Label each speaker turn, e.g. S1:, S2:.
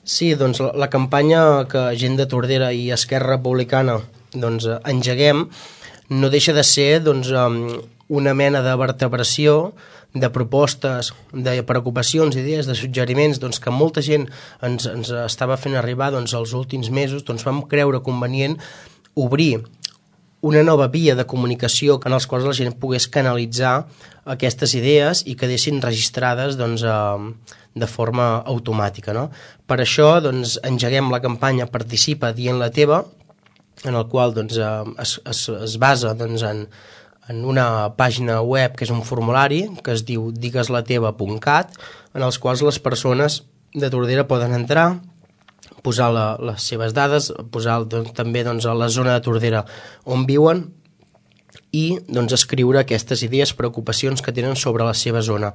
S1: Sí, doncs la campanya que Gent de Tordera i Esquerra Republicana doncs, engeguem no deixa de ser doncs, una mena de vertebració de propostes, de preocupacions, idees, de suggeriments doncs, que molta gent ens estava fent arribar doncs, els últims mesos. Doncs vam creure convenient obrir una nova via de comunicació en els quals la gent pogués canalitzar aquestes idees i quedessin registrades doncs, de forma automàtica. No? Per això doncs, engeguem la campanya Participa dient la teva, en el qual doncs, es basa doncs, en una pàgina web que és un formulari que es diu digueslateva.cat, en els quals les persones de Tordera poden entrar, posar les seves dades, posar doncs, també doncs, a la zona de Tordera on viuen i doncs, escriure aquestes idees, preocupacions que tenen sobre la seva zona.